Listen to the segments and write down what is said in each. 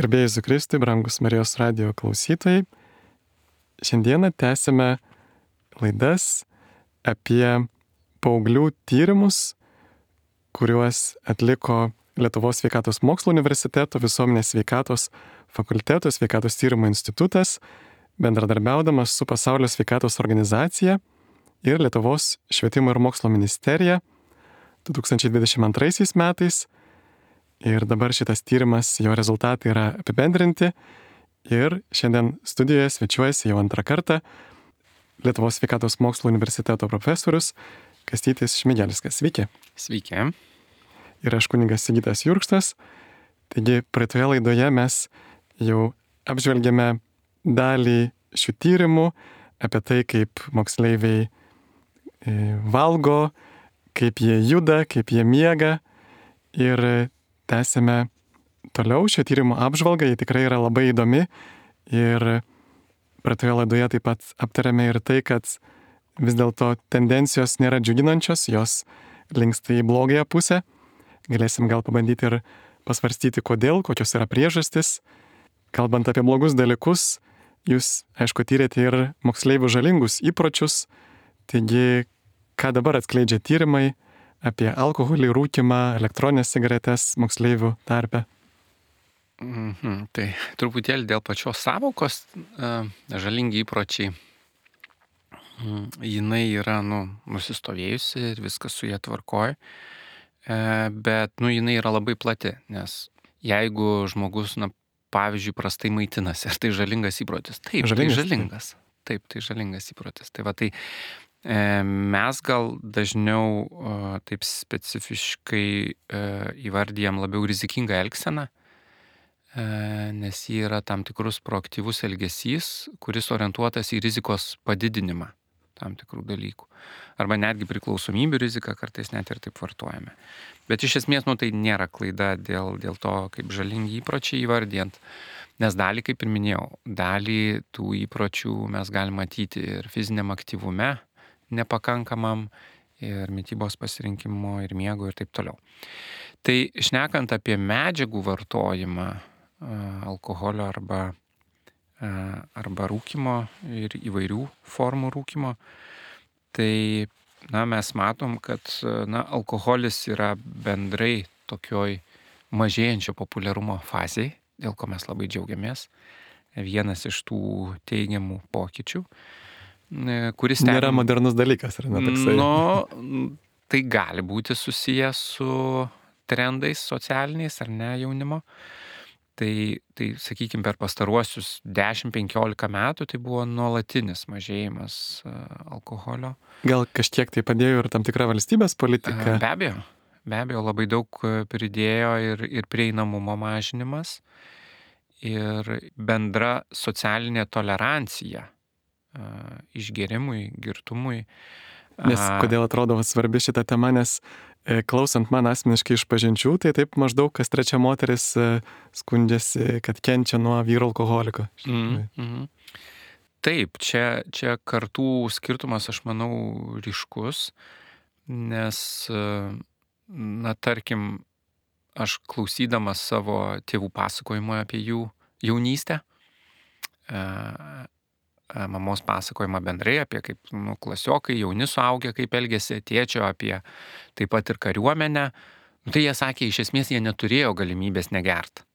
Garbėjai Jėzui Kristui, brangus Marijos radijo klausytojai. Šiandieną tęsime laidas apie paauglių tyrimus, kuriuos atliko Lietuvos sveikatos mokslo universiteto visuomenės sveikatos fakulteto sveikatos tyrimo institutas, bendradarbiaudamas su Pasaulio sveikatos organizacija ir Lietuvos švietimo ir mokslo ministerija 2022 metais. Ir dabar šitas tyrimas, jo rezultatai yra apibendrinti ir šiandien studijoje svečiuojasi jau antrą kartą Lietuvos sveikatos mokslo universiteto profesorius Kastytis Šmigelskas. Sveiki. Sveiki. Ir aš kunigas Sigitas Jurkštas. Taigi praeitoje laidoje mes jau apžvelgėme dalį šių tyrimų apie tai, kaip moksleiviai valgo, kaip jie juda, kaip jie miega. Ir tęsime toliau šio tyrimo apžvalgą, ji tikrai yra labai įdomi ir praeitoje laidoje taip pat aptarėme ir tai, kad vis dėlto tendencijos nėra džiuginančios, jos linksta į blogąją pusę. Galėsim gal pabandyti ir pasvarstyti, kodėl, kokios yra priežastis. Kalbant apie blogus dalykus, jūs, aišku, tyrėte ir moksleivių žalingus įpročius, taigi ką dabar atskleidžia tyrimai apie alkoholį, rūkymą, elektroninės cigaretes moksleivių tarpe? Tai truputėlį dėl pačios savokos žalingi įpročiai. Jinai yra nusistovėjusi ir viskas su ją tvarkoja, bet jinai yra labai plati, nes jeigu žmogus, pavyzdžiui, prastai maitinasi, ar tai žalingas įprotis? Taip, žalingas. Taip, tai žalingas įprotis. Tai va, tai mes gal dažniau taip specifiškai įvardyjam labiau rizikingą elgseną, nes ji yra tam tikrus proaktyvus elgesys, kuris orientuotas į rizikos padidinimą tam tikrų dalykų. Arba netgi priklausomybių riziką kartais net ir taip vartojame. Bet iš esmės, tai nėra klaida dėl to, kaip žalingi įpročiai įvardijant. Nes dalį, kaip ir minėjau, dalį tų įpročių mes galime matyti ir fiziniam aktyvume, nepakankamam, ir mitybos pasirinkimo, ir miego, ir taip toliau. Tai šnekant apie medžiagų vartojimą, alkoholio arba rūkymo ir įvairių formų rūkymo, tai mes matom, kad alkoholis yra bendrai tokioj mažėjančio populiarumo fazėje, dėl ko mes labai džiaugiamės. Vienas iš tų teigiamų pokyčių, kuris nėra modernus dalykas, ar ne toksai? Tai gali būti susijęs su trendais socialiniais ar ne jaunimo. Tai sakykime, per pastaruosius 10-15 metų tai buvo nuolatinis mažėjimas alkoholio. Gal kažkiek tai padėjo ir tam tikra valstybės politika? Be abejo, labai daug pridėjo ir prieinamumo mažinimas, ir bendra socialinė tolerancija išgėrimui, girtumui. Nes kodėl atrodo svarbi šita tema, nes klausant man asmeniškai iš pažinčių, tai taip maždaug kas trečia moteris skundžiasi, kad kenčia nuo vyro alkoholiko. Taip, čia kartų skirtumas, aš manau, ryškus, nes, tarkim, aš klausydamas savo tėvų pasakojimo apie jų jaunystę, mamos pasakojimą bendrai apie kaip klasiokai, jauni suaugę, kaip elgėsi, tėčio apie taip pat ir kariuomenę. Tai jie sakė, iš esmės jie neturėjo galimybės negert.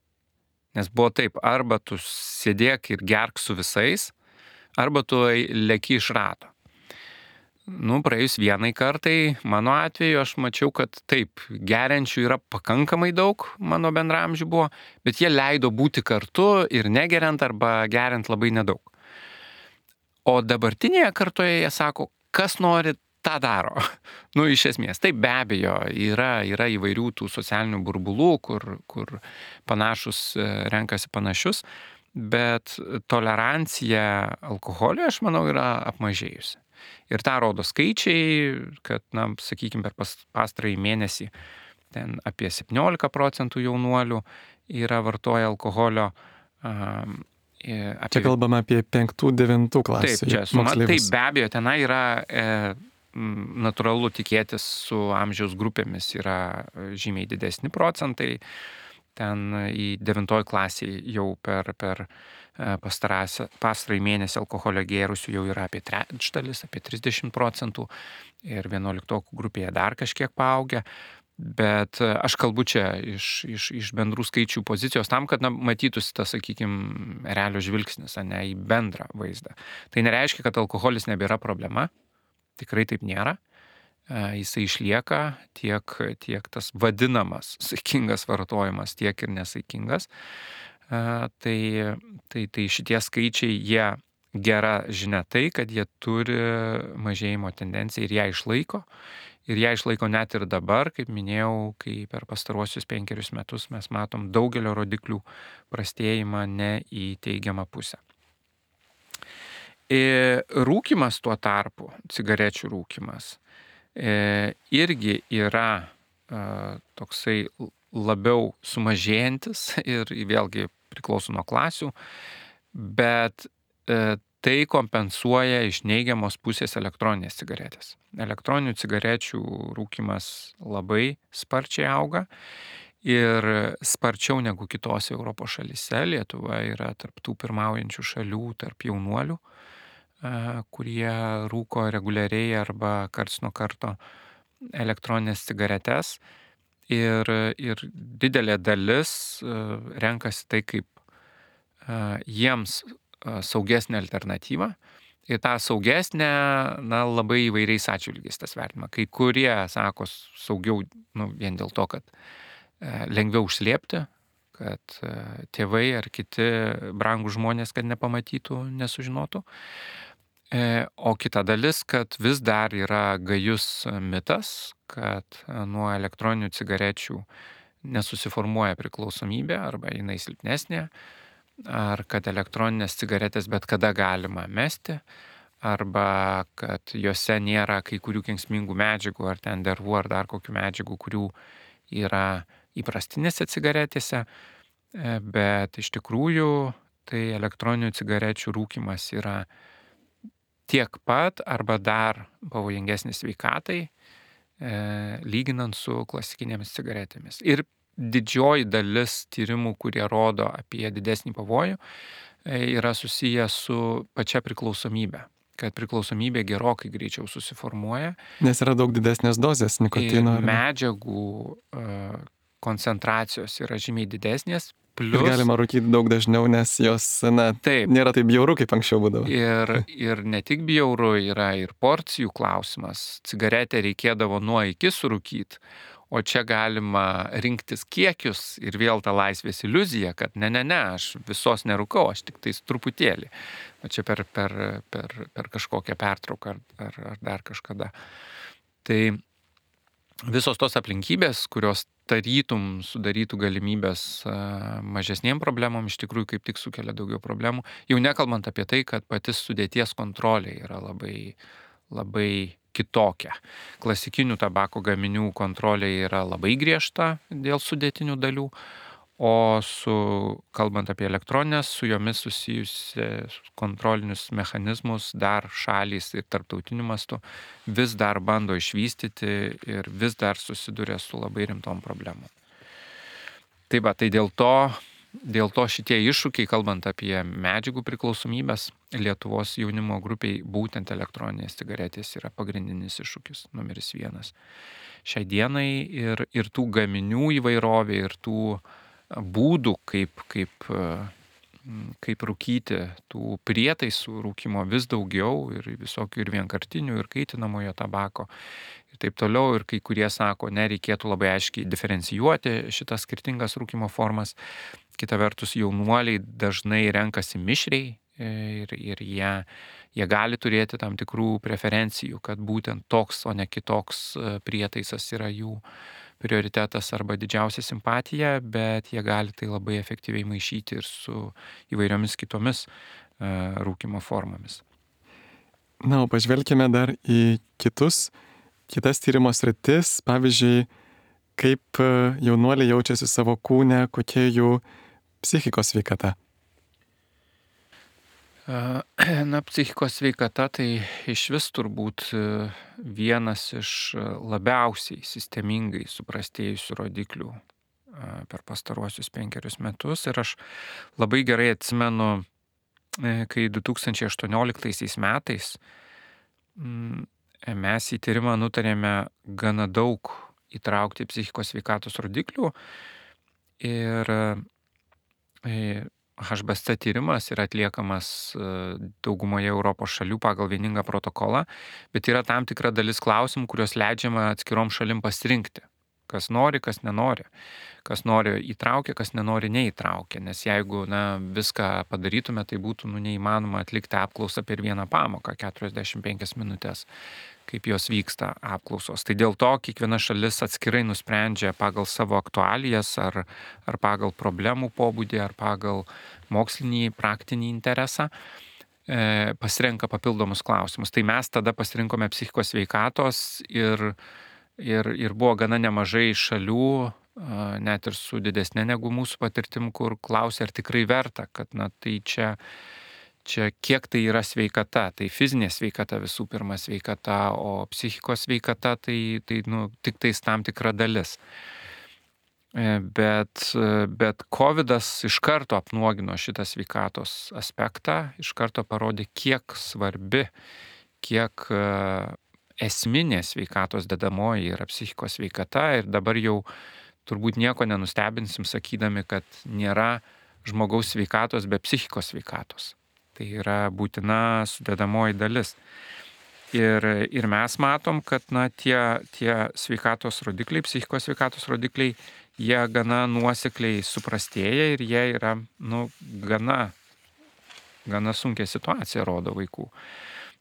Nes buvo taip, arba tu sėdėk ir gerk su visais, arba tu leki iš rato. Praėjus vienai kartai, mano atveju, aš mačiau, kad taip, geriančių yra pakankamai daug, mano bendraamžių buvo, bet jie leido būti kartu ir negeriant arba geriant labai nedaug. O dabartinėje kartoje jie sako, kas nori, tą daro. Iš esmės, taip be abejo, yra įvairių tų socialinių burbulų, kur panašus renkasi panašius, bet tolerancija alkoholiui, aš manau, yra apmažėjusi. Ir tą rodo skaičiai, kad, sakykime, per pastarąjį mėnesį ten apie 17% jaunuolių yra vartoja alkoholio. Čia kalbame apie 5-9 klasių. Taip, čia suma, taip be abejo, tenai yra natūralu tikėtis su amžiaus grupėmis yra žymiai didesni procentai. ten į 9 klasį jau per pastarąjį mėnesį alkoholio gėrusių jau yra apie trečdalis, apie 30%, ir 11 grupėje dar kažkiek paaugę. Bet aš kalbu čia iš bendrų skaičių pozicijos tam, kad matytųsi tas, sakykime, realio žvilgsnis, ne į bendrą vaizdą. Tai nereiškia, kad alkoholis nebėra problema. Tikrai taip nėra. Jisai išlieka tiek tas vadinamas saikingas vartojimas, tiek ir nesaikingas. Tai šitie skaičiai, jie gera žinia tai, kad jie turi mažėjimo tendenciją ir ją išlaiko. Ir ją išlaiko net ir dabar, kaip minėjau, kai per pastaruosius 5 metus mes matom daugelio rodiklių prastėjimą ne į teigiamą pusę. Rūkymas tuo tarpu, cigarečių rūkymas, irgi yra toksai labiau sumažėjantis ir vėlgi priklauso nuo klasių, bet tai kompensuoja iš neigiamos pusės elektroninės cigaretės. Elektroninių cigarečių rūkymas labai sparčiai auga ir sparčiau negu kitose Europos šalyse. Lietuva yra tarp tų pirmaujančių šalių, tarp jaunuolių, kurie rūko reguliariai arba karts nuo karto elektroninės cigaretes. Ir didelė dalis renkasi tai kaip jiems saugesnė alternatyva. Ir tą saugesnę, labai įvairiais atžvilgiais tas vertinama. Kai kurie sako saugiau, vien dėl to, kad lengviau užslėpti, kad tėvai ar kiti brangūs žmonės, kad nepamatytų, nesužinotų. O kita dalis, kad vis dar yra gajus mitas, kad nuo elektroninių cigarečių nesusiformuoja priklausomybė arba jinai silpnesnė, ar kad elektroninės cigaretės bet kada galima mesti, arba kad juose nėra kai kurių kenksmingų medžiagų, ar ten dervų, ar dar kokių medžiagų, kurių yra įprastinėse cigaretėse, bet iš tikrųjų tai elektroninių cigarečių rūkymas yra tiek pat arba dar pavojingesnis sveikatai, lyginant su klasikinėmis cigaretėmis. Ir didžioji dalis tyrimų, kurie rodo apie didesnį pavojų, yra susiję su pačia priklausomybė. Kad priklausomybė gerokai greičiau susiformuoja. Nes yra daug didesnės dozės nikotino. Medžiagų koncentracijos yra žymiai didesnės. Plus, ir galima rūkyti daug dažniau, nes jos nėra taip bjauru, kaip anksčiau būdavo. Ir ne tik bjauru, yra ir porcijų klausimas. Cigaretę reikėdavo nuo iki surūkyti, o čia galima rinktis kiekius ir vėl ta laisvės iliuzija, kad ne, aš visos nerūkau, aš tik tais truputėlį. O čia per kažkokią pertrauką ar dar kažkada. Tai visos tos aplinkybės, kurios tarytum sudarytų galimybės mažesniem problemom, iš tikrųjų kaip tik sukelia daugiau problemų. Jau nekalbant apie tai, kad patys sudėties kontrolė yra labai, labai kitokia. Klasikinių tabako gaminių kontrolė yra labai griežta dėl sudėtinių dalių, o kalbant apie elektroninės, su jomis susijusius kontrolinius mechanizmus dar šalys ir tarptautiniu mastu vis dar bando išvystyti ir vis dar susiduria su labai rimtom problemom. Tai dėl to šitie iššūkiai, kalbant apie medžiagų priklausomybės, Lietuvos jaunimo grupiai būtent elektroninės cigaretės yra pagrindinis iššūkis numeris 1. Šiai dienai ir tų gaminių įvairovė, ir tų būdų, kaip rūkyti, tų prietaisų rūkimo vis daugiau, ir visokių ir vienkartinių, ir kaitinamojo tabako, ir taip toliau, ir kai kurie sako, nereikėtų labai aiškiai diferencijuoti šitas skirtingas rūkimo formas. Kita vertus, jaunuoliai dažnai renkasi mišriai ir jie gali turėti tam tikrų preferencijų, kad būtent toks, o ne kitoks prietaisas yra jų prioritetas arba didžiausia simpatija, bet jie gali tai labai efektyviai maišyti ir su įvairiomis kitomis rūkimo formomis. O pažvelkime dar į kitas tyrimo sritis, pavyzdžiui, kaip jaunuoliai jaučiasi savo kūne, kokia jų psichikos sveikata. Psichikos sveikata tai iš vis turbūt vienas iš labiausiai sistemingai suprastėjusių rodiklių per pastaruosius 5 metus. Ir aš labai gerai atsimenu, kai 2018 metais mes į tyrimą nutarėme gana daug įtraukti psichikos sveikatos rodiklių. Ir HBSC tyrimas yra atliekamas daugumoje Europos šalių pagal vieningą protokolą, bet yra tam tikra dalis klausimų, kurios leidžiama atskirom šalim pasirinkti. Kas nori, kas nenori. Kas nori įtraukia, kas nenori neįtraukia. Nes jeigu viską padarytume, tai būtų neįmanoma atlikti apklausą per vieną pamoką, 45 minutės, kaip jos vyksta apklausos. Tai dėl to kiekviena šalis atskirai nusprendžia pagal savo aktualijas ar pagal problemų pobūdį, ar pagal mokslinį, praktinį interesą pasirenka papildomus klausimus. Tai mes tada pasirinkome psichikos sveikatos ir buvo gana nemažai šalių, net ir su didesnė negu mūsų patirtim, kur klausė, ar tikrai verta, kad tai čia kiek tai yra sveikata. Tai fizinė sveikata visų pirma sveikata, o psichikos sveikata tai tik tais tam tikra dalis. Bet COVID'as iš karto apnuogino šitą sveikatos aspektą, iš karto parodė, kiek svarbi, kiek esminė sveikatos dedamoji yra psichikos sveikata. Ir dabar jau turbūt nieko nenustebinsim sakydami, kad nėra žmogaus sveikatos be psichikos sveikatos. Tai yra būtina sudedamoji dalis. Ir mes matom, kad tie sveikatos rodikliai, psichikos sveikatos rodikliai, jie gana nuosekliai suprastėja ir jie yra gana sunkia situacija rodo vaikų.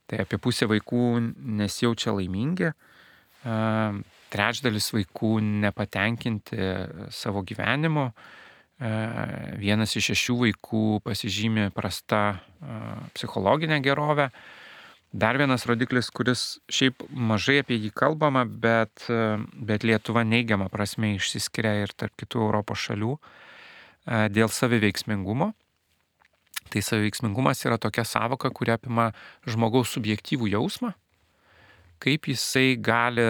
Tai apie pusę vaikų nesijaučia laimingi, trečdalis vaikų nepatenkinti savo gyvenimu, 1 iš 6 vaikų pasižymi prasta psichologinė gerovė. Dar vienas rodiklis, kuris šiaip mažai apie jį kalbama, bet Lietuva neigiama prasme išsiskiria ir tarp kitų Europos šalių dėl saviveiksmingumo. Tai saviveiksmingumas yra tokia sąvoka, kuri apima žmogaus subjektyvų jausmą, kaip jisai gali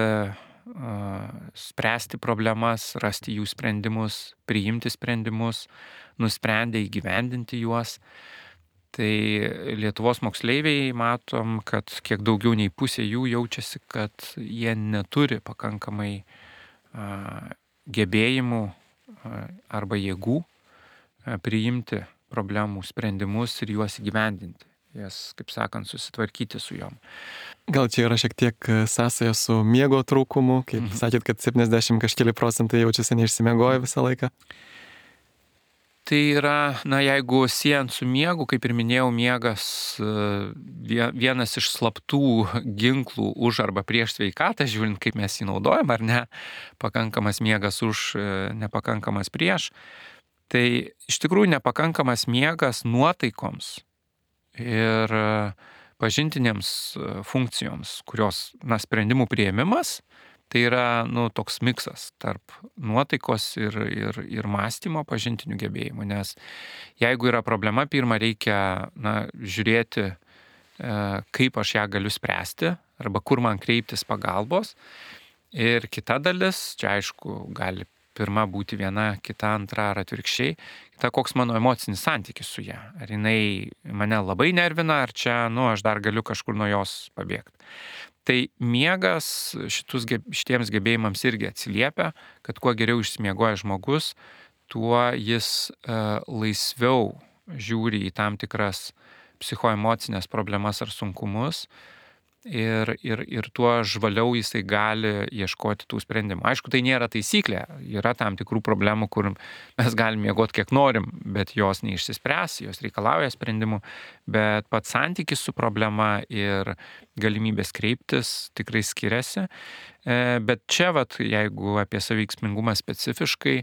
spręsti problemas, rasti jų sprendimus, priimti sprendimus, nusprendę įgyvendinti juos. Tai Lietuvos moksleiviai matom, kad kiek daugiau nei pusė jų jaučiasi, kad jie neturi pakankamai gebėjimų arba jėgų priimti problemų sprendimus ir juos įgyvendinti. Jas, kaip sakant, susitvarkyti su jom. Gal čia yra šiek tiek sąsaja su miego trūkumu, kaip sakėt, kad 70 kažkeli procentai jaučiasi neišsimiegoję visą laiką? Tai yra, jeigu siejant su miegu, kaip ir minėjau, miegas vienas iš slaptų ginklų už arba prieš sveikatą, žiūrint, kaip mes jį naudojam, ar ne, pakankamas miegas už, nepakankamas prieš. Tai iš tikrųjų nepakankamas miegas nuotaikoms ir pažintinėms funkcijoms, kurios, sprendimų priėmimas, tai yra, toks miksas tarp nuotaikos ir mąstymo pažintinių gebėjimų. Nes jeigu yra problema, pirmą reikia, žiūrėti, kaip aš ją galiu spręsti, arba kur man kreiptis pagalbos. Ir kita dalis, čia aišku, gali pirma būti viena, kita antra ar atvirkščiai, kita koks mano emocinis santykis su ją. Ar jinai mane labai nervina, ar čia, aš dar galiu kažkur nuo jos pabėgti. Tai miegas šitiems gebėjimams irgi atsiliepia, kad kuo geriau išsimiegoja žmogus, tuo jis laisviau žiūri į tam tikras psichoemocinės problemas ar sunkumus ir tuo žvaliau jisai gali ieškoti tų sprendimų. Aišku, tai nėra taisyklė, yra tam tikrų problemų, kur mes galim miegoti kiek norim, bet jos neišsispręs, jos reikalauja sprendimų, bet pats santykis su problema ir galimybės kreiptis tikrai skiriasi. Bet čia, jeigu apie saviveiksmingumą specifiškai,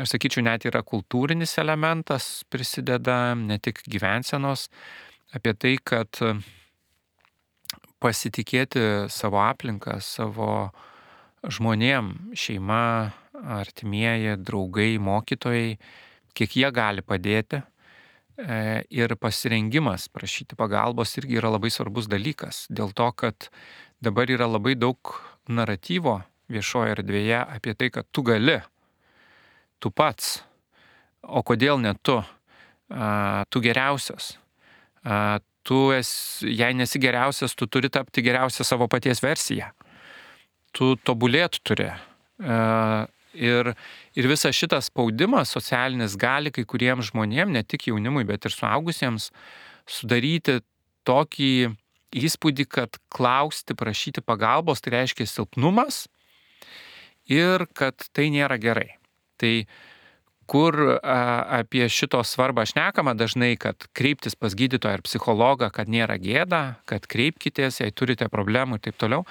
aš sakyčiau, net yra kultūrinis elementas prisideda, ne tik gyvensenos, apie tai, kad pasitikėti savo aplinką, savo žmonėm, šeima, artimieji, draugai, mokytojai, kiek jie gali padėti. Ir pasirengimas prašyti pagalbos irgi yra labai svarbus dalykas. Dėl to, kad dabar yra labai daug naratyvo viešoje erdvėje apie tai, kad tu gali. tu pats. O kodėl ne tu? Tu geriausias. Jei nesi geriausias, tu turi tapti geriausią savo paties versiją. Tu tobulėt turi. Ir visas šitas spaudimas socialinis gali kai kuriems žmonėms, ne tik jaunimui, bet ir suaugusiems, sudaryti tokį įspūdį, kad klausti, prašyti pagalbos, tai reiškia silpnumas ir kad tai nėra gerai. Tai kur apie šito svarbą šnekama dažnai, kad kreiptis pas gydytoją ar psichologą, kad nėra gėda, kad kreipkitės, jei turite problemų ir taip toliau,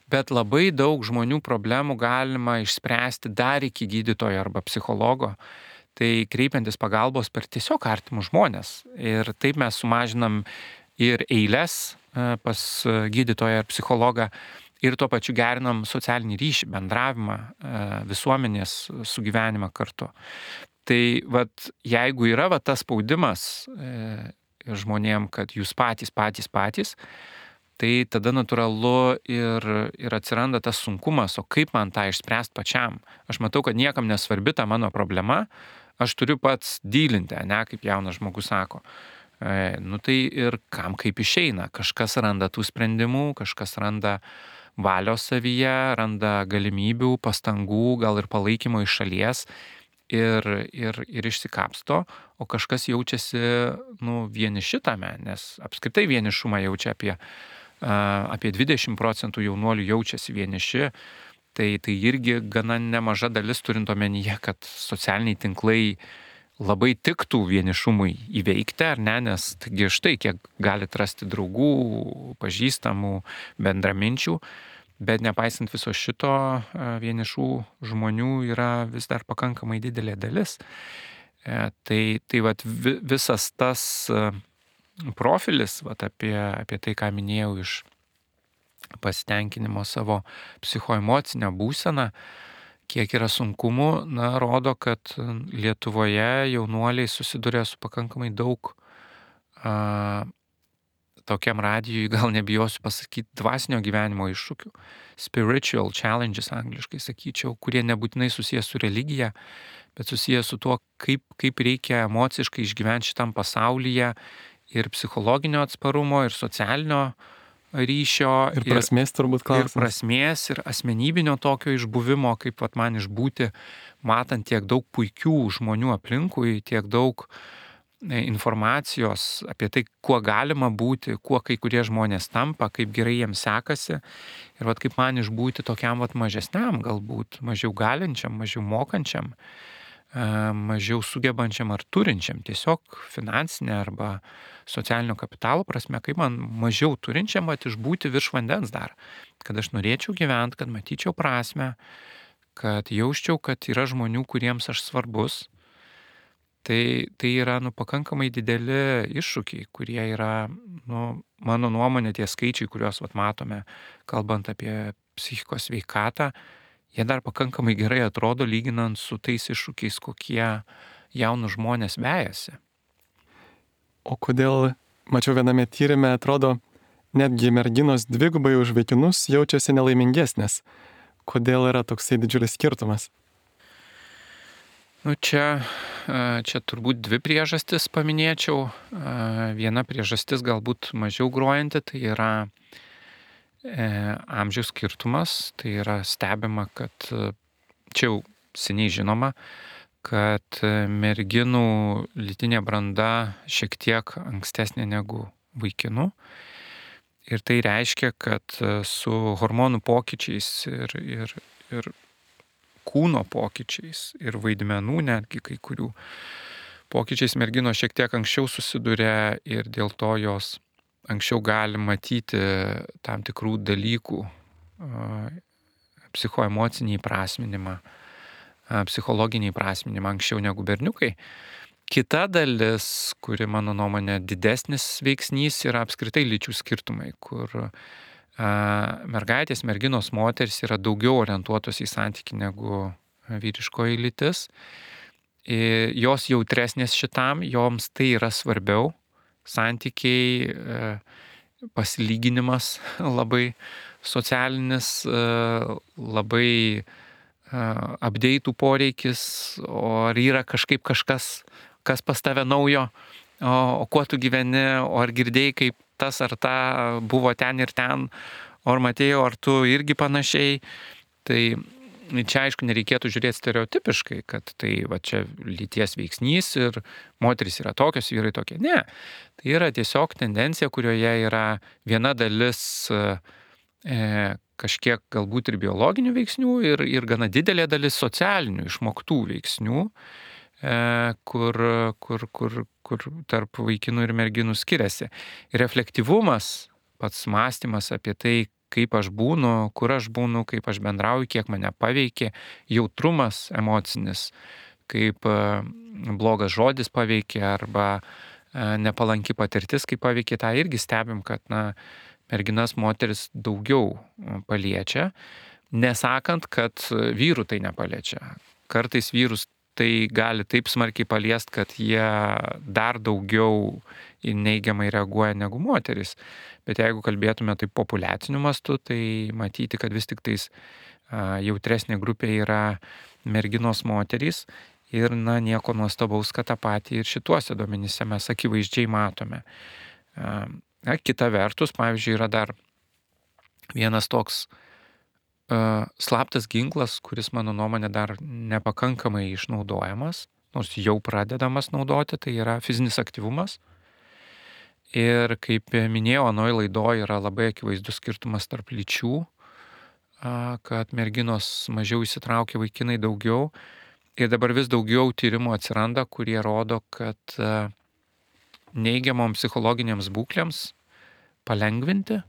bet labai daug žmonių problemų galima išspręsti dar iki gydytojo arba psichologo, tai kreipiantis pagalbos per tiesiog artimus žmonės. Ir taip mes sumažinam ir eiles pas gydytoją ar psichologą, ir tuo pačiu gerinam socialinį ryšį, bendravimą, visuomenės sugyvenimą kartu. Tai jeigu yra tas spaudimas žmonėm, kad jūs patys, tai tada natūralu ir atsiranda tas sunkumas, o kaip man tą išspręsti pačiam. Aš matau, kad niekam nesvarbi ta mano problema, aš turiu pats dylinti, ne, kaip jaunas žmogus sako. Tai ir kam kaip išeina. Kažkas randa tų sprendimų, kažkas randa valios savyje, randa galimybių, pastangų, gal ir palaikymo iš šalies ir išsikapsto, o kažkas jaučiasi vieniši tame, nes apskritai vienišumą jaučia apie 20% jaunuolių jaučiasi vieniši, tai irgi gana nemaža dalis turint omenyje, kad socialiniai tinklai labai tiktų vienišumui įveikti, ar ne, nes taigi štai kiek galit rasti draugų, pažįstamų, bendraminčių, bet nepaisant viso šito, vienišų žmonių yra vis dar pakankamai didelė dalis. Tai visas tas profilis, apie tai, ką minėjau iš pasitenkinimo savo psichoemocinę būseną, kiek yra sunkumų, rodo, kad Lietuvoje jaunuoliai susiduria su pakankamai daug tokiam radijui, gal nebijosiu pasakyti, dvasinio gyvenimo iššūkių, spiritual challenges angliškai sakyčiau, kurie nebūtinai susijęs su religija, bet susijęs su tuo, kaip reikia emociškai išgyventi šitam pasaulyje ir psichologinio atsparumo, ir socialinio ryšio. Ir prasmės turbūt klausimas. Ir prasmės, ir asmenybinio tokio išbuvimo, kaip man išbūti, matant tiek daug puikių žmonių aplinkui, tiek daug informacijos apie tai, kuo galima būti, kuo kai kurie žmonės tampa, kaip gerai jiems sekasi. Ir kaip man išbūti tokiam mažesniam, galbūt mažiau galinčiam, mažiau mokančiam, mažiau sugebančiam ar turinčiam, tiesiog finansinė arba socialinio kapitalo prasme, kaip man mažiau turinčiam išbūti virš vandens dar. Kad aš norėčiau gyventi, kad matyčiau prasme, kad jausčiau, kad yra žmonių, kuriems aš svarbus. Tai yra pakankamai dideli iššūkiai, kurie yra, mano nuomonė, tie skaičiai, kuriuos matome, kalbant apie psichikos sveikatą, jie dar pakankamai gerai atrodo lyginant su tais iššūkiais, kokie jaunų žmonės vejasi. O kodėl, mačiau viename tyrime, atrodo, netgi merginos dvigubai už vaikinus jaučiasi nelaimingesnės. Kodėl yra toksai didžiulis skirtumas? Čia turbūt dvi priežastis paminėčiau. Viena priežastis galbūt mažiau grojanti, tai yra amžiaus skirtumas. Tai yra stebima, kad čia jau seniai žinoma, kad merginų lytinė branda šiek tiek ankstesnė negu vaikinų. Ir tai reiškia, kad su hormonų pokyčiais ir kūno pokyčiais ir vaidmenų netgi kai kurių pokyčiais merginos šiek tiek anksčiau susiduria ir dėl to jos anksčiau gali matyti tam tikrų dalykų, psichoemocinį įprasminimą, psichologinį įprasminimą anksčiau negu berniukai. Kita dalis, kuri mano nuomonė didesnis veiksnys, yra apskritai lyčių skirtumai, kur mergaitės, merginos, moterys yra daugiau orientuotos į santykį negu vyriškoji lytis. Jos jautresnės šitam, joms tai yra svarbiau. Santykiai, pasilyginimas labai socialinis, labai update'ų poreikis, o ar yra kažkaip kažkas, kas pas tave naujo, o kuo tu gyveni, o ar girdėjai, kaip tas ar ta buvo ten ir ten, o ar matėjau, ar tu irgi panašiai. Tai čia aišku nereikėtų žiūrėti stereotipiškai, kad tai va čia lyties veiksnys ir moterys yra tokios, vyrai tokie. Ne, tai yra tiesiog tendencija, kurioje yra viena dalis kažkiek galbūt ir biologinių veiksnių ir gana didelė dalis socialinių išmoktų veiksnių, kur tarp vaikinų ir merginų skiriasi. Ir reflektyvumas, pats mąstymas apie tai, kaip aš būnu, kur aš būnu, kaip aš bendrauju, kiek mane paveikė, jautrumas emocinis, kaip blogas žodis paveikė arba nepalanki patirtis, kaip paveikė, tą irgi stebim, kad merginas, moteris daugiau paliečia, nesakant, kad vyrų tai nepaliečia. Kartais vyrus tai gali taip smarkiai paliest, kad jie dar daugiau neigiamai reaguoja negu moteris. Bet jeigu kalbėtume taip populiaciniu mastu, tai matyti, kad vis tik tais jautresnė grupė yra merginos moterys ir nieko nuostabaus, kad tą patį ir šituose duomenyse mes akivaizdžiai matome. Kita vertus, pavyzdžiui, yra dar vienas toks slaptas ginklas, kuris mano nuomonė dar nepakankamai išnaudojamas, nors jau pradedamas naudoti, tai yra fizinis aktyvumas. Ir kaip minėjau, anoje laidoje yra labai akivaizdus skirtumas tarp lyčių, kad merginos mažiau įsitraukia, vaikinai daugiau. Ir dabar vis daugiau tyrimų atsiranda, kurie rodo, kad neigiamom psichologinėms būklėms palengvinti,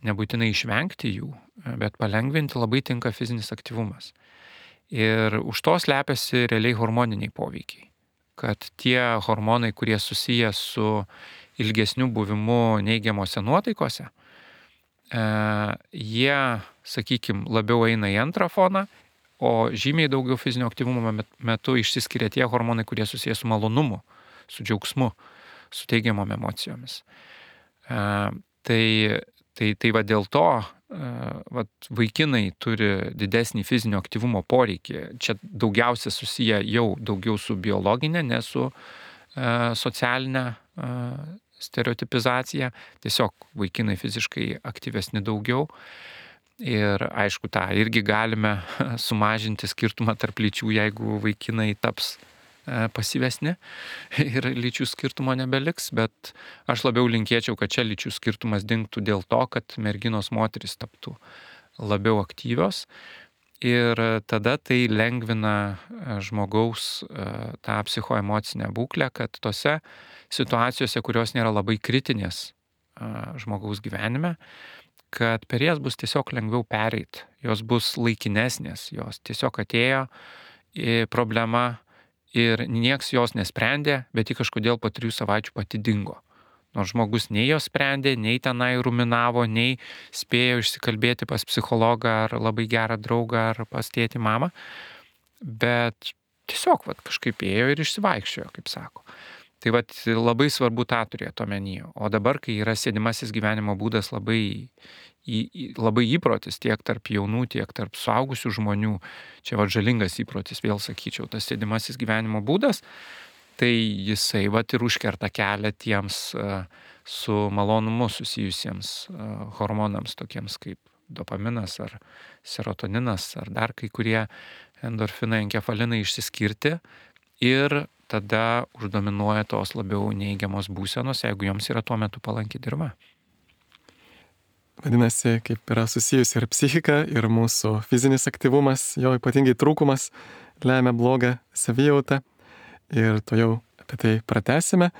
nebūtinai išvengti jų, bet palengvinti labai tinka fizinis aktyvumas. Ir už to slepiasi realiai hormoniniai poveikiai. Kad tie hormonai, kurie susiję su ilgesniu buvimu neigiamose nuotaikose, jie, sakykime, labiau eina į antrą foną, o žymiai daugiau fizinio aktyvumo metu išsiskiria tie hormonai, kurie susiję su malonumu, su džiaugsmu, su teigiamom emocijomis. Tai va dėl to vaikinai turi didesnį fizinio aktyvumo poreikį. Čia daugiausia susiję jau daugiau su biologinė, ne su socialinė stereotipizacija. Tiesiog vaikinai fiziškai aktyvesni daugiau. Ir aišku, tą irgi galime sumažinti skirtumą tarp lyčių, jeigu vaikinai taps pasyvesni ir lyčių skirtumo nebeliks, bet aš labiau linkėčiau, kad čia lyčių skirtumas dingtų dėl to, kad merginos moterys taptų labiau aktyvios ir tada tai lengvina žmogaus tą psichoemocinę būklę, kad tose situacijose, kurios nėra labai kritinės žmogaus gyvenime, kad per jas bus tiesiog lengviau pereit, jos bus laikinesnės, jos tiesiog atėjo į problemą ir nieks jos nesprendė, bet ji kažkodėl po 3 savaičių pati dingo. Nors žmogus nei jos sprendė, nei tenai ruminavo, nei spėjo išsikalbėti pas psichologą ar labai gerą draugą ar pas tėtį mamą, bet tiesiog kažkaip ėjo ir išsivaikščiojo, kaip sako. Tai labai svarbu tą turėti omenyje. O dabar, kai yra sėdimasis gyvenimo būdas labai įprotis tiek tarp jaunų, tiek tarp suaugusių žmonių, čia žalingas įprotis, vėl sakyčiau, tas sėdimasis gyvenimo būdas, tai jisai ir užkerta kelią tiems su malonumu susijusiems hormonams, tokiems kaip dopaminas ar serotoninas ar dar kai kurie endorfinai, enkefalinai išsiskirti ir tada uždominuoja tos labiau neigiamos būsenos, jeigu joms yra tuo metu palanki dirva. Vadinasi, kaip yra susijusi ir psichika, ir mūsų fizinis aktyvumas, jo ypatingai trūkumas lemia blogą savijautą. Ir to jau apie tai pratęsime.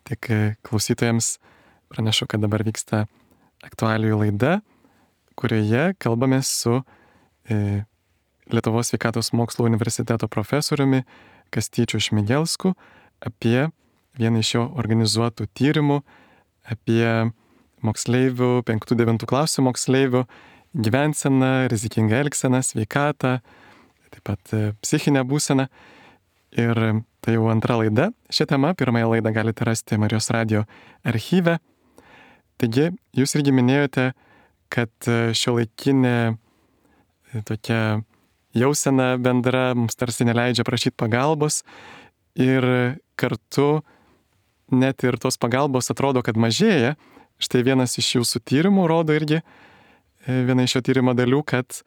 Tik klausytojams pranešu, kad dabar vyksta aktualijų laida, kurioje kalbame su Lietuvos sveikatos mokslų universiteto profesoriumi Kastyčiu Šmigelsku apie vieną iš jo organizuotų tyrimų, apie moksleivių, 5-9 klasių moksleivių gyvenseną, rizikingą elgseną, sveikatą, taip pat psichinę būseną. Ir tai jau antra laida. Šią temą, pirmąją laidą galite rasti Marijos radijo archyve. Taigi, jūs irgi minėjote, kad šiuolaikinė tokia jausena bendra mums tarsi neleidžia prašyti pagalbos ir kartu net ir tos pagalbos atrodo, kad mažėja. Štai vienas iš jūsų tyrimų rodo irgi, viena iš šio tyrimo dalių, kad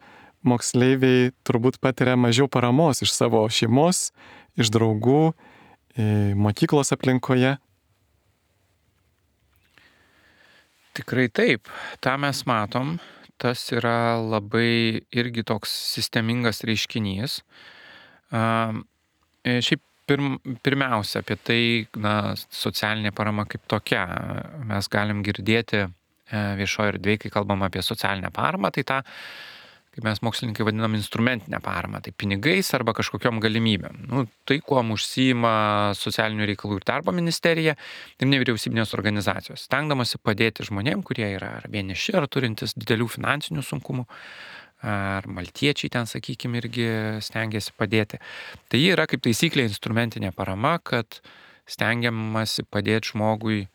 moksleiviai turbūt patiria mažiau paramos iš savo šeimos, iš draugų, mokyklos aplinkoje. Tikrai taip, tą mes matom, tas yra labai irgi toks sistemingas reiškinys. Šiaip pirmiausia apie tai, socialinė parama kaip tokia. Mes galim girdėti viešoje erdvėje, kai kalbam apie socialinę paramą, tai tą, kaip mes mokslininkai vadinam, instrumentinę paramą, tai pinigais arba kažkokiom galimybėm. Tai, kuom užsiima socialinių reikalų ir darbo ministerija ir nevyriausybinės organizacijos, stengdamasi padėti žmonėm, kurie yra ar vieniši, ar turintis didelių finansinių sunkumų, ar maltiečiai ten, sakykime, irgi stengiasi padėti. Tai yra kaip taisyklė instrumentinė parama, kad stengiamasi padėti žmogui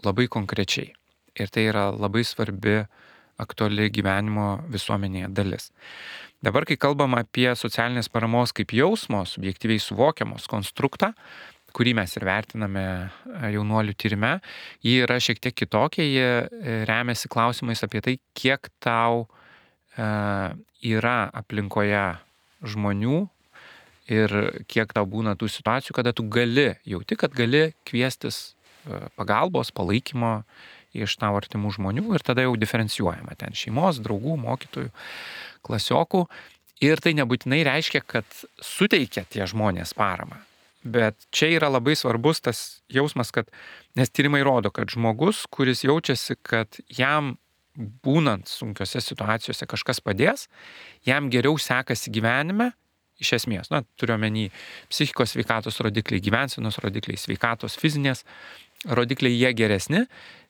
labai konkrečiai. Ir tai yra labai svarbi, aktuali gyvenimo visuomenėje dalis. Dabar, kai kalbam apie socialinės paramos kaip jausmo, subjektyviai suvokiamos konstruktą, kurį mes ir vertiname jaunuolių tyrime, ji yra šiek tiek kitokia, ji remiasi klausimais apie tai, kiek tau yra aplinkoje žmonių ir kiek tau būna tų situacijų, kada tu jauti, kad gali kviestis pagalbos, palaikymo iš tavo artimų žmonių ir tada jau diferencijuojama ten šeimos, draugų, mokytojų, klasiokų. Ir tai nebūtinai reiškia, kad suteikia tie žmonės paramą. Bet čia yra labai svarbus tas jausmas, kad, nes tyrimai rodo, kad žmogus, kuris jaučiasi, kad jam būnant sunkiose situacijose kažkas padės, jam geriau sekasi gyvenime, iš esmės, turiu omeny psichikos sveikatos rodikliai, gyvensenos rodikliai, sveikatos fizinės rodikliai, jie geresni,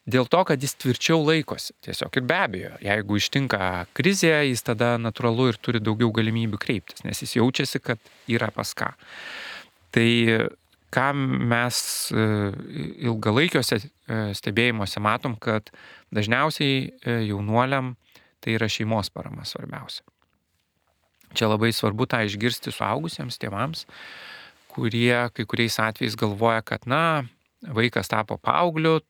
dėl to, kad jis tvirčiau laikosi. Tiesiog ir be abejo, jeigu ištinka krizė, jis tada natūralu ir turi daugiau galimybių kreiptis, nes jis jaučiasi, kad yra pas ką. Tai ką mes ilgalaikiuose stebėjimuose matom, kad dažniausiai jaunuoliam tai yra šeimos parama svarbiausia. Čia labai svarbu tą išgirsti suaugusiems tėvams, kurie kai kuriais atvejais galvoja, kad vaikas tapo paaugliu,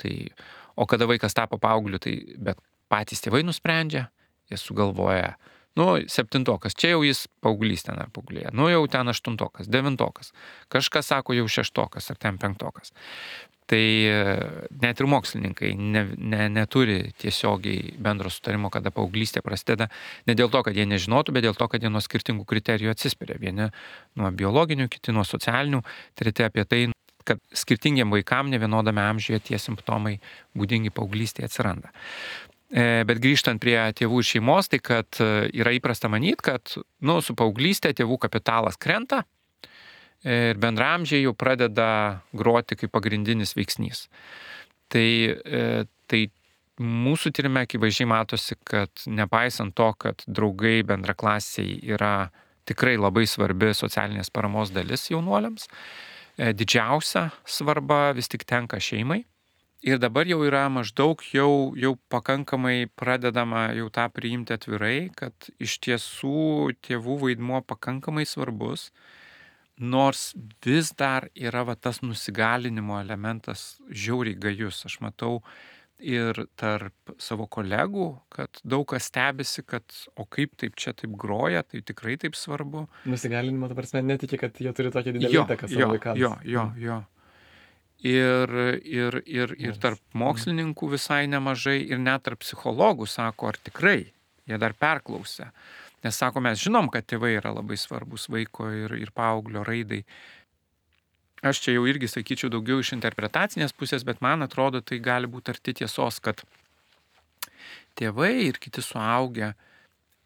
o kada vaikas tapo paaugliu, tai bet patys tėvai nusprendžia, jie sugalvoja, 7-okas, čia jau jis paauglys ten ar paauglė, jau ten 8-okas, 9-okas, kažkas sako jau 6-okas ar ten 5-okas. Tai net ir mokslininkai neturi tiesiogiai bendro sutarimo, kada paauglystė prasideda, ne dėl to, kad jie nežinotų, bet dėl to, kad jie nuo skirtingų kriterijų atsispiria. Vieni nuo biologinių, kiti nuo socialinių, treti apie tai, kad skirtingiam vaikam nevienodame amžiuje tie simptomai būdingi paauglystėje atsiranda. Bet grįžtant prie tėvų ir šeimos, tai kad yra įprasta manyti, kad su paauglystė tėvų kapitalas krenta ir bendramžiai jau pradeda groti kaip pagrindinis veiksnys. Tai mūsų tyrime akivaizdžiai matosi, kad nepaisant to, kad draugai bendraklasiai yra tikrai labai svarbi socialinės paramos dalis jaunuoliams, didžiausia svarba vis tik tenka šeimai. Ir dabar jau yra maždaug jau pakankamai pradedama jau tą priimti atvirai, kad iš tiesų tėvų vaidmuo pakankamai svarbus, nors vis dar yra tas nusigalinimo elementas žiauriai gajus. Aš matau ir tarp savo kolegų, kad daug kas stebisi, kad o kaip taip čia taip groja, tai tikrai taip svarbu. Nusigalinimo, ta prasme, netiki, kad jie turi tokią didelį įtaką savo vaikams. Jo. Ir tarp mokslininkų visai nemažai, ir net tarp psichologų sako, ar tikrai, jie dar perklausia. Nes sako, mes žinom, kad tėvai yra labai svarbus vaiko ir paauglio raidai. Aš čia jau irgi sakyčiau daugiau iš interpretacinės pusės, bet man atrodo, tai gali būti arti tiesos, kad tėvai ir kiti suaugę,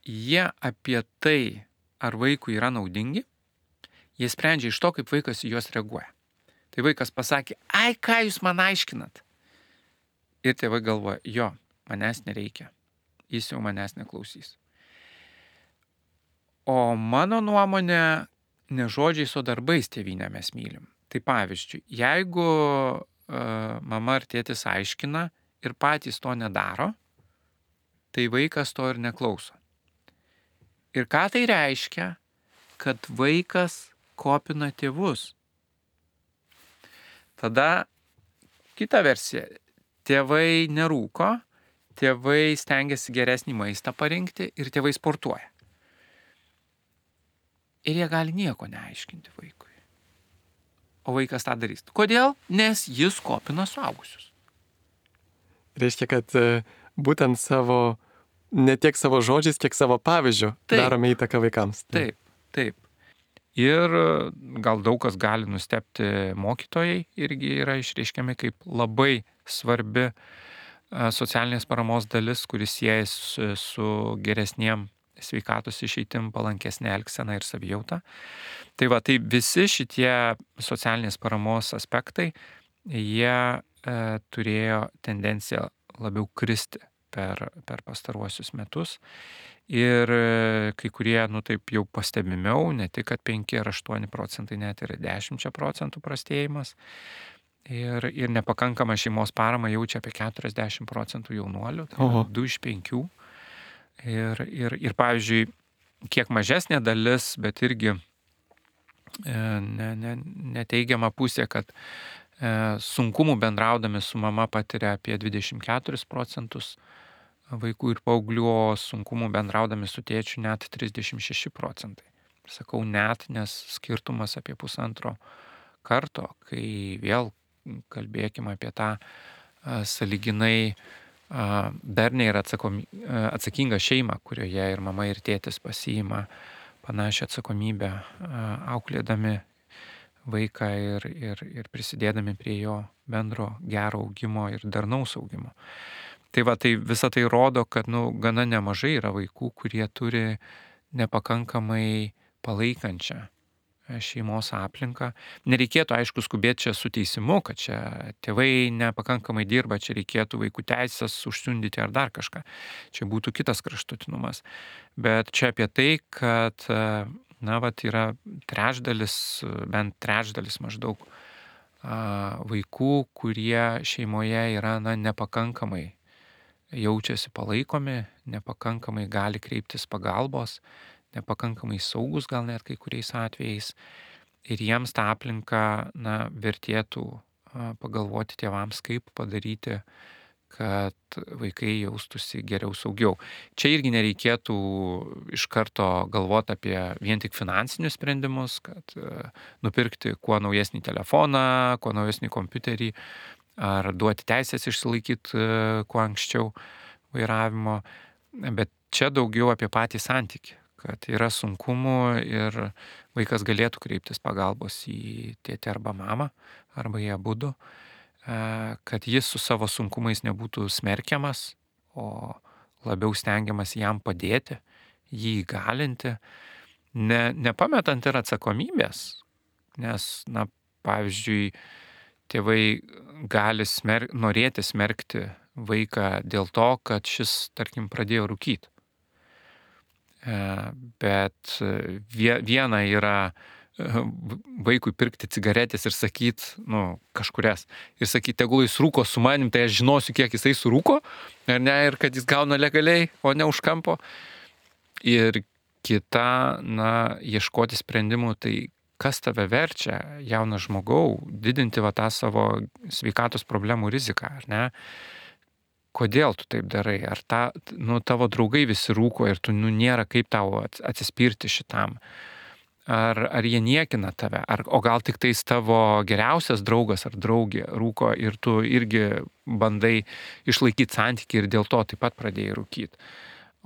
jie apie tai, ar vaikui yra naudingi, jie sprendžia iš to, kaip vaikas į juos reaguoja. Tai vaikas pasakė, ai, ką jūs man aiškinat? Ir tėvai galvoja, jo, manęs nereikia, jis jau manęs neklausys. O mano nuomonė, ne žodžiais, o darbais tėvynę mes mylim. Tai pavyzdžiui, jeigu mama ar tėtis aiškina ir patys to nedaro, tai vaikas to ir neklauso. Ir ką tai reiškia? kad vaikas kopina tėvus. Tada kita versija. Tėvai nerūko, tėvai stengiasi geresnį maistą parinkti ir tėvai sportuoja. Ir jie gali nieko neaiškinti vaikui. O vaikas tą darys. Kodėl? Nes jis kopina suaugusius. Reiškia, kad būtent ne tiek savo žodžiais, kiek savo pavyzdžiu darome įtaką vaikams. Taip. Ir gal daug kas gali nustebti, mokytojai irgi yra išreiškiami kaip labai svarbi socialinės paramos dalis, kuris siejasi su geresniem sveikatos išeitim, palankesnė elgsena ir savijauta. Tai visi šitie socialinės paramos aspektai, jie turėjo tendenciją labiau kristi per pastaruosius metus. Ir kai kurie, taip jau pastebimiau, ne tik, kad 5 ar 8%, net ir 10% prastėjimas. Ir nepakankamą šeimos paramą jaučia apie 40% jaunuolių, tai 2 iš 5. Ir pavyzdžiui, kiek mažesnė dalis, bet irgi neteigiama pusė, kad sunkumų bendraudami su mama patiria apie 24% vaikų ir paauglių, o sunkumų bendraudami su tėčiu net 36%. Sakau net, nes skirtumas apie 1,5 karto, kai vėl kalbėkime apie tą sąlyginai darniai ir atsakingą šeimą, kurioje ir mama ir tėtis pasiima panašią atsakomybę auklėdami vaiką ir prisidėdami prie jo bendro gero augimo ir darnaus augimo. Tai visa tai rodo, kad gana nemažai yra vaikų, kurie turi nepakankamai palaikančią šeimos aplinką. Nereikėtų, aišku, skubėti čia su teisimu, kad čia tėvai nepakankamai dirba, čia reikėtų vaikų teisės užsiundyti ar dar kažką. Čia būtų kitas kraštutinumas. Bet čia apie tai, kad yra bent trečdalis maždaug vaikų, kurie šeimoje yra nepakankamai jaučiasi palaikomi, nepakankamai gali kreiptis pagalbos, nepakankamai saugus gal net kai kuriais atvejais. Ir jiems tą aplinką vertėtų pagalvoti tėvams, kaip padaryti, kad vaikai jaustųsi geriau, saugiau. Čia irgi nereikėtų iš karto galvoti apie vien tik finansinius sprendimus, kad nupirkti kuo naujesnį telefoną, kuo naujesnį kompiuterį, ar duoti teisės išsilaikyti kuo anksčiau vairavimo. Bet čia daugiau apie patį santykį, kad yra sunkumų ir vaikas galėtų kreiptis pagalbos į tėtį arba mamą, arba į abudu, kad jis su savo sunkumais nebūtų smerkiamas, o labiau stengiamas jam padėti, jį įgalinti, nepametant ir atsakomybės, nes, pavyzdžiui, tėvai gali norėti smerkti vaiką dėl to, kad šis, tarkim, pradėjo rūkyti. Bet viena yra vaikui pirkti cigaretės ir sakyti, kažkurias, ir sakyti, tegul jis rūko su manim, tai aš žinosiu, kiek jisai surūko, ar ne, ir kad jis gauna legaliai, o ne už kampo. Ir kita, ieškoti sprendimų, tai kas tave verčia, jaunas žmogau, didinti tą savo sveikatos problemų riziką, ar ne? Kodėl tu taip darai? Ar tavo draugai visi rūko ir tu nėra kaip tau atsispirti šitam? Ar jie niekina tave? O gal tik tais tavo geriausias draugas ar draugė rūko ir tu irgi bandai išlaikyti santykį ir dėl to taip pat pradėjai rūkyti?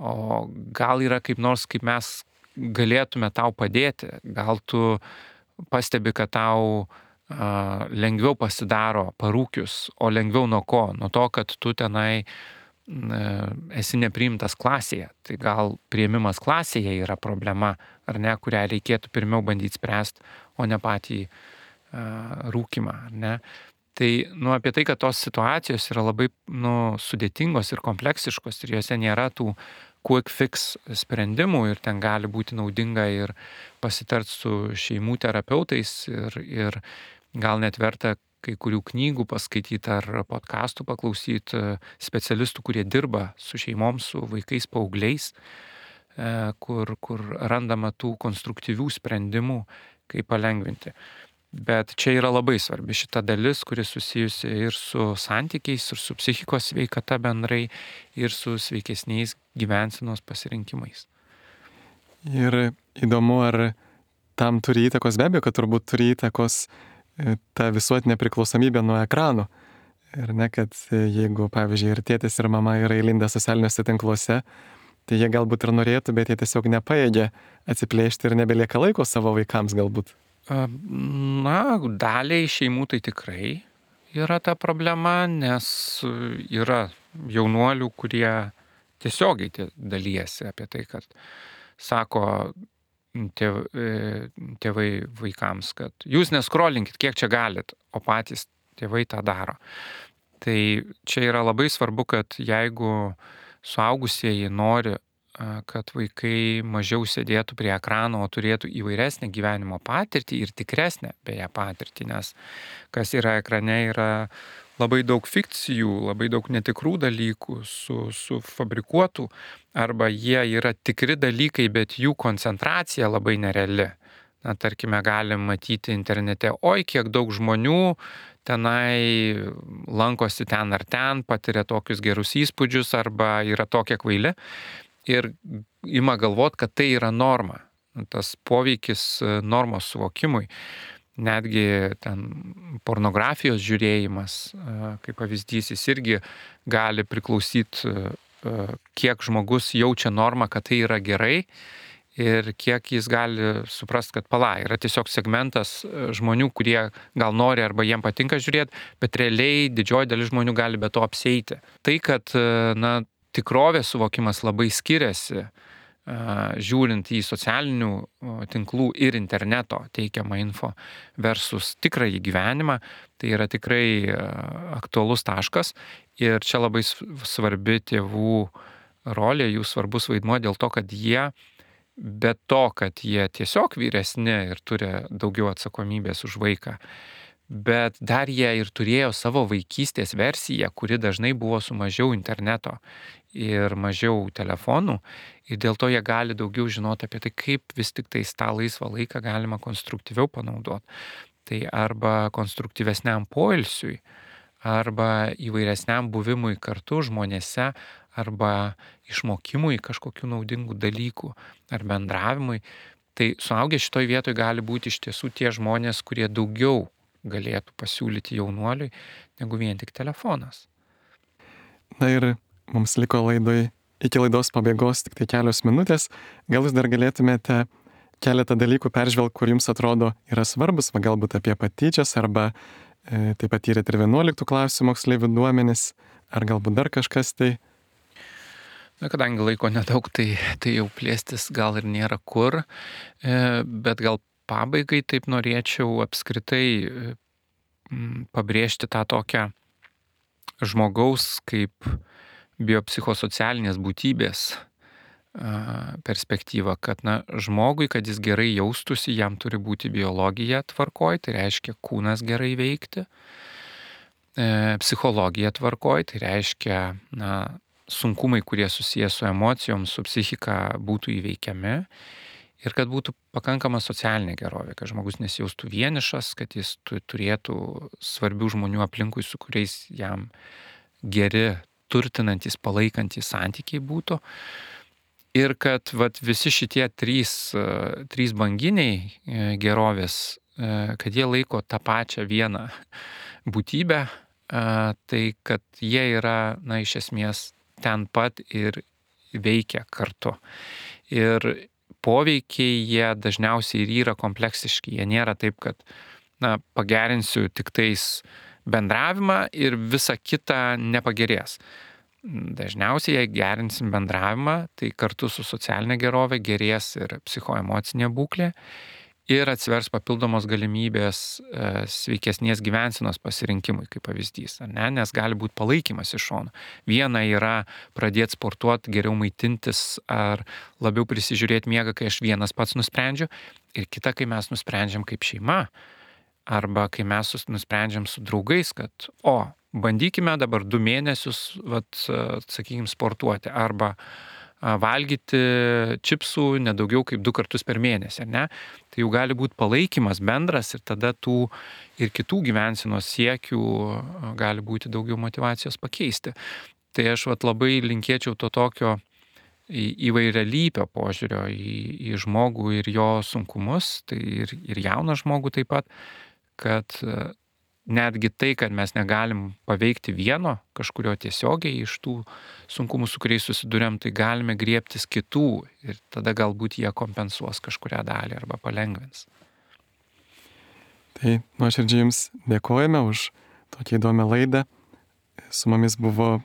O gal yra kaip mes galėtume tau padėti, gal tu pastebi, kad tau lengviau pasidaro parūkius, o lengviau nuo ko? Nuo to, kad tu tenai esi nepriimtas klasėje. Tai gal priėmimas klasėje yra problema, ar ne, kurią reikėtų pirmiau bandyti spręsti, o ne patį rūkimą, ar ne? Tai apie tai, kad tos situacijos yra labai sudėtingos ir kompleksiškos ir jose nėra tų quick fix sprendimų ir ten gali būti naudinga ir pasitart su šeimų terapeutais ir gal net verta kai kurių knygų paskaityti ar podcastų paklausyti specialistų, kurie dirba su šeimom, su vaikais, paaugliais, kur randama tų konstruktyvių sprendimų, kaip palengvinti. Bet čia yra labai svarbi šita dalis, kuri susijusi ir su santykiais, ir su psichikos sveikata bendrai, ir su sveikesniais gyvensenos pasirinkimais. Ir įdomu, ar tam turi įtakos, be abejo, kad turbūt turi įtakos ta visuotinė priklausomybė nuo ekranų. Ir ne, kad jeigu, pavyzdžiui, ir tėtis, ir mama yra įlindę socialiniuose tinkluose, tai jie galbūt ir norėtų, bet jie tiesiog nepajėgia atsiplėšti ir nebelieka laiko savo vaikams galbūt. Na, daliai šeimų tai tikrai yra ta problema, nes yra jaunuolių, kurie tiesiogiai dalyjasi apie tai, kad sako tėvai vaikams, kad jūs neskrolinkit, kiek čia galit, o patys tėvai tą daro. Tai čia yra labai svarbu, kad jeigu suaugusieji nori, kad vaikai mažiau sėdėtų prie ekrano, o turėtų įvairesnę gyvenimo patirtį ir tikresnę beje patirtį, nes kas yra ekrane, yra labai daug fikcijų, labai daug netikrų dalykų, sufabrikuotų, arba jie yra tikri dalykai, bet jų koncentracija labai nereali. Na, tarkime, galim matyti internete, oi, kiek daug žmonių tenai lankosi ten ar ten, patiria tokius gerus įspūdžius, arba yra tokie kvaili. Ir ima galvot, kad tai yra norma. Tas poveikis normos suvokimui, netgi ten pornografijos žiūrėjimas, kaip pavyzdys, jis irgi gali priklausyti, kiek žmogus jaučia normą, kad tai yra gerai, ir kiek jis gali suprast, kad yra tiesiog segmentas žmonių, kurie gal nori arba jiem patinka žiūrėti, bet realiai didžioji dalis žmonių gali be to apsieiti. Tai, kad, tikrovės suvokimas labai skiriasi, žiūrint į socialinių tinklų ir interneto teikiamą info versus tikrąjį gyvenimą, tai yra tikrai aktualus taškas, ir čia labai svarbi tėvų rolė, jų svarbus vaidmuo dėl to, kad jie, be to, kad jie tiesiog vyresni ir turi daugiau atsakomybės už vaiką, bet dar jie ir turėjo savo vaikystės versiją, kuri dažnai buvo su mažiau interneto ir mažiau telefonų, ir dėl to jie gali daugiau žinoti apie tai, kaip vis tik tais tą laisvą laiką galima konstruktyviau panaudoti. Tai arba konstruktyvesniam poilsiui, arba įvairesniam buvimui kartu žmonėse, arba išmokimui kažkokių naudingų dalykų, ar bendravimui. Tai suaugę šitoj vietoj gali būti iš tiesų tie žmonės, kurie daugiau galėtų pasiūlyti jaunuoliui, negu vien tik telefonas. Na ir mums liko iki laidos pabaigos tik tai kelios minutės. Gal jūs dar galėtumėte keletą dalykų peržvelgti, kur jums atrodo yra svarbus, galbūt apie patyčias, arba taip pat tyrėt ir 11 klasių moksleivių duomenis, ar galbūt dar kažkas tai. Na, kadangi laiko nedaug, tai jau plėstis gal ir nėra kur, bet gal pabaigai taip norėčiau apskritai pabrėžti tą tokią žmogaus kaip biopsichosocialinės būtybės perspektyvą, kad žmogui, kad jis gerai jaustųsi, jam turi būti biologija tvarkoj, tai reiškia kūnas gerai veikti, psichologija tvarkoj, tai reiškia sunkumai, kurie susiję su emocijom, su psichika, būtų įveikiami, ir kad būtų pakankama socialinė gerovė, kad žmogus nesijaustų vienišas, kad jis turėtų svarbių žmonių aplinkui, su kuriais jam geri, turtinantis, palaikantis santykiai būtų. Ir kad visi šitie trys banginiai gerovės, kad jie laiko tą pačią vieną būtybę, tai kad jie yra, iš esmės, ten pat ir veikia kartu. Ir poveikiai jie dažniausiai ir yra kompleksiški. Jie nėra taip, kad pagerinsiu tik tais bendravimą ir visa kita nepagerės. Dažniausiai, jei gerinsim bendravimą, tai kartu su socialinė gerovė gerės ir psichoemocinė būklė ir atsivers papildomos galimybės sveikesnės gyvensenos pasirinkimui, kaip pavyzdys, nes gali būti palaikymas iš šono. Viena yra pradėti sportuoti, geriau maitintis ar labiau prisižiūrėti miegą, kai aš vienas pats nusprendžiu, ir kita, kai mes nusprendžiam kaip šeima, arba kai mes nusprendžiam su draugais, kad bandykime dabar 2 mėnesius, sakykime, sportuoti, arba valgyti čipsų nedaugiau kaip 2 kartus per mėnesį, ne? Tai jau gali būti palaikymas bendras ir tada tų ir kitų gyvensenos siekių gali būti daugiau motivacijos pakeisti. Tai aš labai linkėčiau to tokio įvairialypio požiūrio į žmogų ir jo sunkumus, tai ir jauną žmogų taip pat, kad netgi tai, kad mes negalim paveikti vieno kažkurio tiesiogiai iš tų sunkumų, su kuriais susidurėm, tai galime griebtis kitų ir tada galbūt jie kompensuos kažkurią dalį arba palengvins. Tai nuoširdžiai Jums dėkojame už tokią įdomią laidą. Su mumis buvo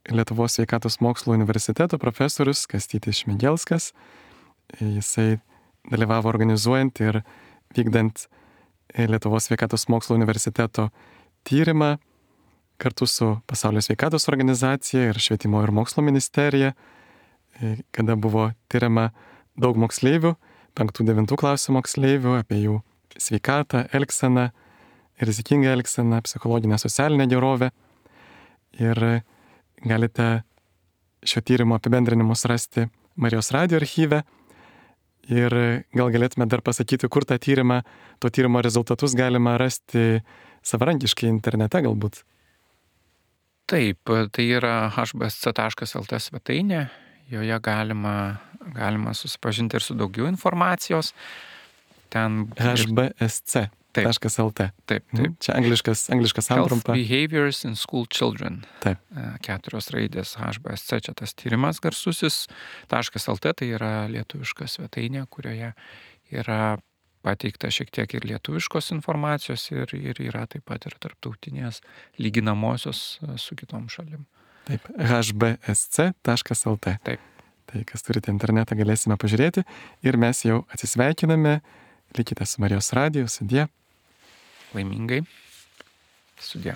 Lietuvos sveikatos mokslo universiteto profesorius Kastytis Šmigelskas. Jisai dalyvavo organizuojant ir vykdant Lietuvos sveikatos mokslo universiteto tyrimą kartu su Pasaulio sveikatos organizacija ir Švietimo ir mokslo ministerija, kada buvo tyriama daug moksleivių, 5-9 klasių moksleivių, apie jų sveikatą, elgseną, rizikingą elgseną, psichologinę, socialinę gerovę. Ir galite šio tyrimo apibendrinimus rasti Marijos radijo archyve. Ir gal galėtume dar pasakyti, kur to tyrimo rezultatus galima rasti savarankiškai internete galbūt. Taip, tai yra hbsc.lt svetainė, joje galima susipažinti ir su daugiau informacijos. Ten hbsc.lt. Taip. Čia angliškas santrumpa. Health Behaviors in School Children. Taip. 4 raidės HBSC, čia tas tyrimas garsusis. .lt tai yra lietuviška svetainė, kurioje yra pateikta šiek tiek ir lietuviškos informacijos ir yra taip pat ir tarptautinės lyginamosios su kitom šalim. Taip, hbsc.lt. Taip. Tai kas turite internetą, galėsime pažiūrėti. Ir mes jau atsisveikiname. Likite su Marijos radiju. Sudie. Laimingai. Sudie.